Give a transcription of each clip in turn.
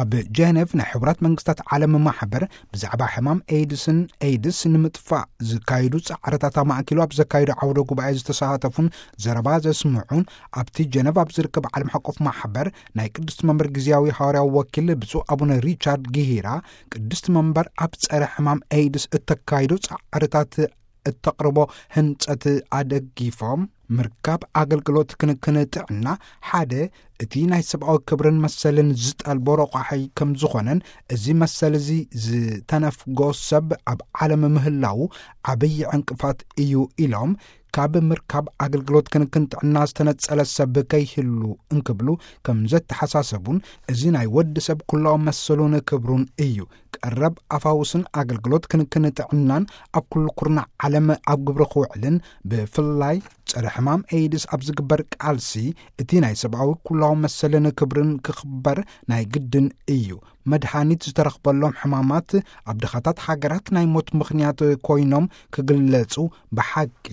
ኣብ ጀነቭ ናይ ሕቡራት መንግስታት ዓለም ማሕበር ብዛዕባ ሕማም ኤድስን ኤድስ ንምጥፋእ ዝካየዱ ጻዕርታት ኣማእኪሉ ኣብ ዘካየዱ ዓውደ ጉባኤ ዝተሳተፉን ዘረባ ዘስምዑን፣ ኣብቲ ጀነቭ ኣብ ዝርከብ ዓለም ሓቆፍ ማሕበር ናይ ቅድስቲ መንበር ግዝያዊ ሃዋርያዊ ወኪል ብፁዕ ኣቡነ ሪቻርድ ጊሂራ፣ ቅድስቲ መንበር ኣብ ጸረ ሕማም ኤድስ እተካይዶ ጻዕርታት እተቕርቦ ህንጸት ኣደጊፎም፣ ምርካብ ኣገልግሎት ክንክን ጥዕና ሓደ እቲ ናይ ሰብኣዊ ክብርን መሰልን ዝጠልቦ ረቋሒ ከም ዝኾነን፣ እዚ መሰል እዚ ዝተነፍጎ ሰብ ኣብ ዓለም ምህላዉ ዓብዪ ዕንቅፋት እዩ ኢሎም፣ ካብ ምርካብ ኣገልግሎት ክንክን ጥዕና ዝተነጸለ ሰብ ከይህሉ እንክብሉ ከም ዘተሓሳሰቡን፣ እዚ ናይ ወዲ ሰብ ኩላዊ መሰሉን ክብሩን እዩ። ቀረብ ኣፋውስን ኣገልግሎት ክንክን ጥዕናን ኣብ ኩሉ ኩርናዕ ዓለም ኣብ ግብሪ ክውዕልን፣ ብፍላይ ጸረ ሕማም ኤድስ ኣብ ዝግበር ቃልሲ እቲ ናይ ሰብኣዊ ኩላዊ መሰልን ክብርን ክኽበር ናይ ግድን እዩ። መድሃኒት ዝተረኽበሎም ሕማማት ኣብ ድኻታት ሃገራት ናይ ሞት ምኽንያት ኮይኖም ክግለጹ ብሓቂ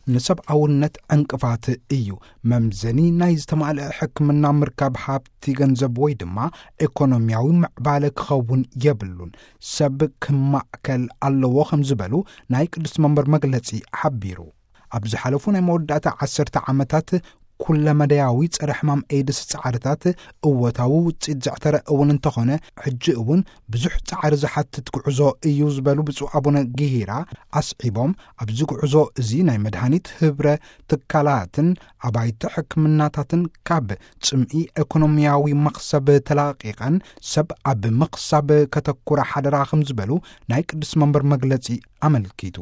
ንሰብኣውነት ዕንቅፋት እዩ። መምዘኒ ናይ ዝተማልአ ሕክምና ምርካብ ሃብቲ ገንዘብ ወይ ድማ ኢኮኖሚያዊ ምዕባለ ክኸውን የብሉን። ሰብ ክማእከል ኣለዎ ከም ዝበሉ ናይ ቅድስቲ መንበር መግለጺ ሓቢሩ። ኣብ ዝሓለፉ ናይ መወዳእታ ዓሰርተ ዓመታት ኩለመዳያዊ ጸረ ሕማም ኤድስ ጻዕርታት እወታዊ ውጽኢት ዘዕተረ እውን እንተኾነ፣ ሕጂ እውን ብዙሕ ጻዕሪ ዝሓትት ጉዕዞ እዩ ዝበሉ ብፁዕ ኣቡነ ጊሂራ ኣስዒቦም፣ ኣብዚ ጉዕዞ እዚ ናይ መድሃኒት ህብረ ትካላትን ኣባይቲ ሕክምናታትን ካብ ጽምኢ ኢኮኖሚያዊ መኽሰብ ተላቒቐን ሰብ ኣብ ምኽሳብ ከተኩራ ሓደራ ከም ዝበሉ ናይ ቅዱስ መንበር መግለጺ ኣመልኪቱ።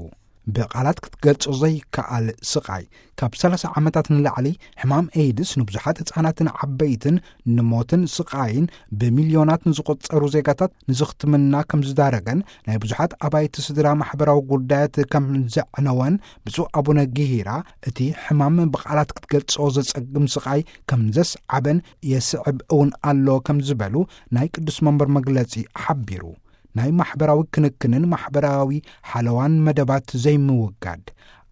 ብቓላት ክትገልጾ ዘይከኣል ስቓይ። ካብ ሰላሳ ዓመታት ንላዕሊ ሕማም ኤድስ ንብዙሓት ህጻናትን ዓበይትን ንሞትን ስቓይን ብሚልዮናት ንዝቑጸሩ ዜጋታት ንዝኽትምና ከም ዝዳረገን ናይ ብዙሓት ኣባይቲ ስድራ ማሕበራዊ ጉዳያት ከም ዘዕነወን ብፁዕ ኣቡነ ጊሂራ፣ እቲ ሕማም ብቓላት ክትገልጾ ዘጸግም ስቓይ ከም ዘስዓበን የስዕብ እውን ኣሎ ከም ዝበሉ ናይ ቅዱስ መንበር መግለጺ ሓቢሩ። ናይ ማሕበራዊ ክንክንን ማሕበራዊ ሓለዋን መደባት ዘይምውጋድ።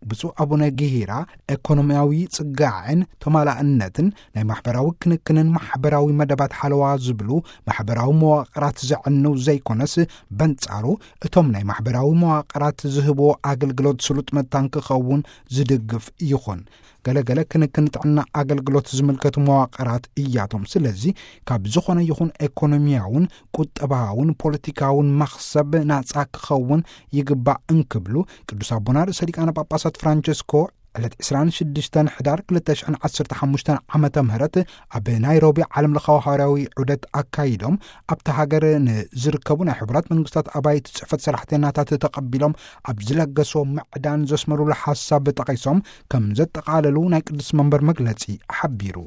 ብፁዕ ኣቡነ ጊሂራ፣ ኤኮኖሚያዊ ጽጋዕን ተማላእነትን ናይ ማሕበራዊ ክንክንን ማሕበራዊ መደባት ሓለዋ ዝብሉ ማሕበራዊ መዋቕራት ዘዕንው ዘይኮነስ፣ በንጻሩ እቶም ናይ ማሕበራዊ መዋቕራት ዝህብዎ ኣገልግሎት ስሉጥ መታን ክኸውን ዝድግፍ ይኹን። ገለገለ ክንክን ጥዕና ኣገልግሎት ዝምልከቱ መዋቕራት እያቶም። ስለዚ ካብ ዝኾነ ይኹን ኤኮኖሚያውን ቁጠባውን ፖለቲካውን መኽሰብ ናጻ ክኸውን ይግባእ እንክብሉ ቅዱስ ኣቦና ርእሰ ሊቃነ ጳጳሳት ፍራንቸስኮ ዕለት ዕስራን ሽዱሽተን ሕዳር ክልተ ሽሕን ዓሰርተ ሓሙሽተን ዓመተ ምህረት ኣብ ናይሮቢ ዓለም ለኻዊ ሃዋርያዊ ዑደት ኣካይዶም ኣብቲ ሃገር ንዝርከቡ ናይ ሕቡራት መንግስታት ኣባይቲ ጽሕፈት ሰራሕተኛታት ተቐቢሎም ኣብ ዝለገስዎ ምዕዳን ዘስመሩሉ ሓሳብ ጠቒሶም ከም ዘጠቓለሉ ናይ ቅዱስ መንበር መግለጺ ሓቢሩ።